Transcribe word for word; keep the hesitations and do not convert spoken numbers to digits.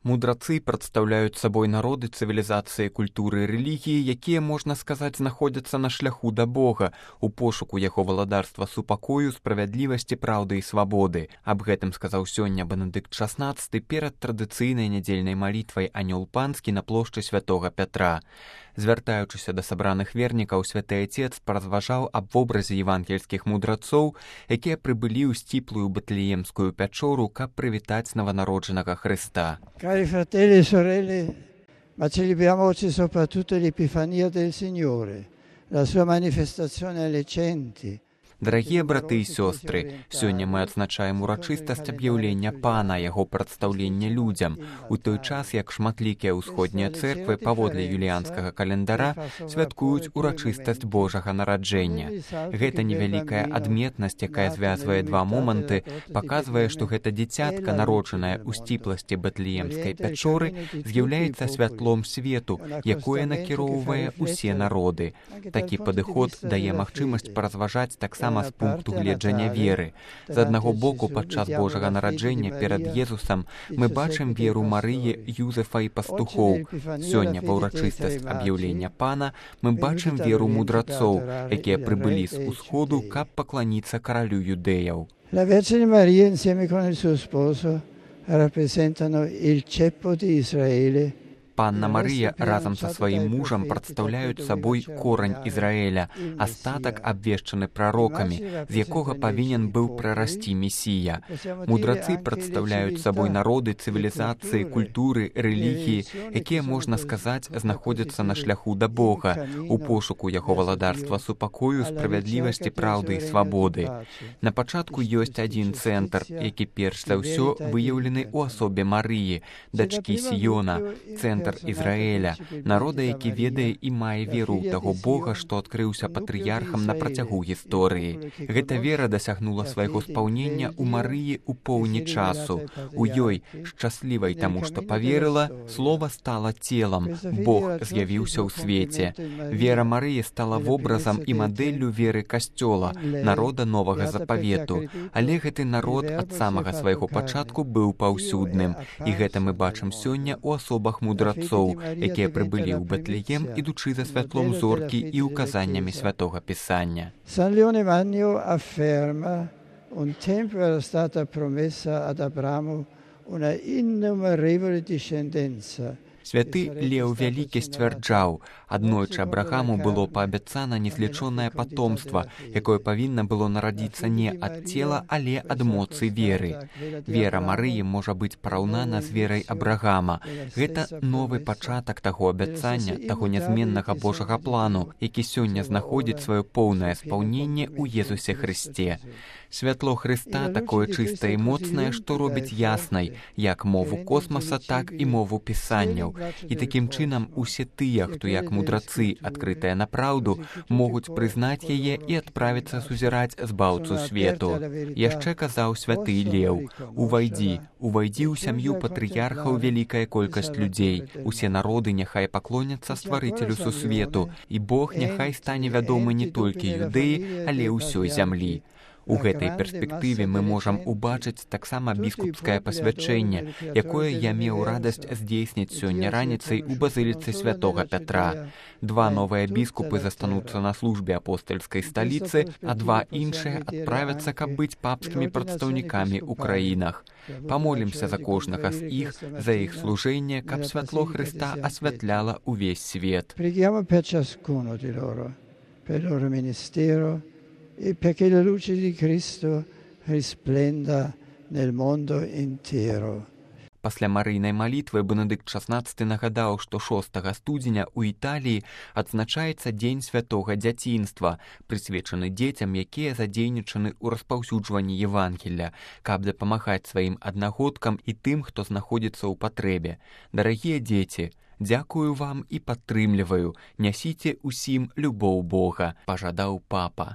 Мудрацы прадстаўляюць сабой народы цывілізацыі, культуры і рэлігіі, якія, можна сказаць, знаходзяцца на шляху да Бога, у пошуку яго валадарства супакою, справядлівасці, праўды і свабоды. Аб гэтым сказаў сёння Бенедыкт шаснаццаты перад традыцыйнай нядзельнай малітвай анёл панскі на плошчы святога Пятра. Звяртаючыся да сабраных вернікаў, святы Отец паразважаў аб вобразе евангельскіх мудрацоў, якія прыбылі ў сціплую Бэтлеемскую пячору, каб прывітаць новонароджанага Христа. Cari fratelli e sorelle, ma celebriamo oggi soprattutto l'Epifania del Signore, la sua manifestazione alle genti. Дарагія браты і сёстры, сёння мы адзначаем урачыстасць аб'яўлення Пана, яго прадстаўлення людзям, у той час, як шматлікія ўсходнія цэрквы паводле юліянскага календара святкуюць урачыстасць Божага нараджэння. Гэта невялікая адметнасць, якая звязвае два моманты, паказвае, што гэта дзіцятка, народжанае ў сціпласці Бэтлеемскай пячоры, з'яўляецца святлом свету, якое накіроўвае ўсе народы. Такі падыход дае магчымасць паразважаць таксама з пункту гледжання веры. З аднаго боку, падчас Божага нараджэння перад Езусам мы бачым веру Марыі, Юзефа і пастухоў. Сёння ва ўрачыстасць аб'яўлення Пана мы бачым веру мудрацоў, якія прыбылі з усходу, каб пакланіцца каралю юдэяў. La Vergine Maria insieme con il suo sposo rappresentano il ceppo di Israele. Панна Марыя разам са сваім мужам прадстаўляюць сабой корань Ізраэля, астатак абвешчаны прарокамі, з якога павінен быў прарасці Месія. Мудрацы прадстаўляюць сабой народы, цывілізацыі, культуры, рэлігіі, якія, можна сказаць, знаходзяцца на шляху да Бога, у пошуку яго валадарства супакою, справядлівасці, праўды і свабоды. На пачатку ёсць адзін цэнтр, які перш за ўсё выяўлены ў асобе Марыі, дачкі Сіёна, цэнтр Ізраэля, народа, які ведае і мае веру ў таго Бога, што адкрыўся патрыярхам на працягу гісторыі. Гэта вера дасягнула свайго спаўнення ў Марыі ў поўні часу. У ёй, шчаслівай таму, што паверыла, слова стала целам, Бог з'явіўся ў свеце. Вера Марыі стала вобразам і мадэллю веры касцёла, народа новага запавету. Але гэты народ ад самага свайго пачатку быў паўсюдным. І гэта мы бачым сёння ў асобах мудрацоў, якія прыбылі ў Бэтлеем, ідучы за святлом зоркі і указаннямі святога Пісання. San Leone Magno afferma: un tempo era stata promessa ad Abramo una innumerevole discendenza. Святы Леў Вялікі сцвярджаў, аднойчы Абрахаму было паабяцана незлічонае патомства, якое павінна было нарадзіцца не ад цела, але ад моцы веры. Вера Марыі можа быць параўнана з верай Абрахама. Гэта новы пачатак таго абяцання, таго нязменнага Божага плану, які сёння знаходзіць сваё поўнае спаўненне ў Езусе Хрысце. Святло Хрыста такое чыстае і моцнае, што робіць яснай як мову космаса, так і мову пісанняў. І такім чынам усе тыя, хто як мудрацы, адкрытыя на праўду, могуць прызнаць яе і адправіцца сузіраць збаўцу свету. Яшчэ казаў святы Леў: увайдзі, увайдзі ў сям'ю патрыярхаў вялікая колькасць людзей. Усе народы няхай паклоняцца стварыцелю сусвету, і Бог няхай стане вядомы не толькі юдэі, але ўсёй зямлі. У гэтай перспектыве мы можам убачыць таксама біскупскае пасвячэнне, якое я меў радасць здзейсніць сёння раніцай у базыліцы святога Пятра. Два новыя біскупы застануцца на службе апостальскай сталіцы, а два іншыя адправяцца, каб быць папскімі прадстаўнікамі ў краінах. Памолімся за кожнага з іх, за іх служэнне, каб святло Хрыста асвятляла ўвесь свет. Preghiamo per ciascuno di loro, per il loro ministero, e perché la luce di Cristo risplenda nel mondo intero. Пасля марыйнай малітвы Бенедыкт шаснаццаты нагадаў, што шостага студзеня ў Італіі адзначаецца дзень святога дзяцінства, прысвечаны дзецям, якія задзейнічаны ў распаўсюджванні Евангелля, каб дапамагаць сваім аднагодкам і тым, хто знаходзіцца ў патрэбе. Дарагія дзеці, дзякую вам і падтрымліваю, нясіце ўсім любоў Бога, пажадаў папа.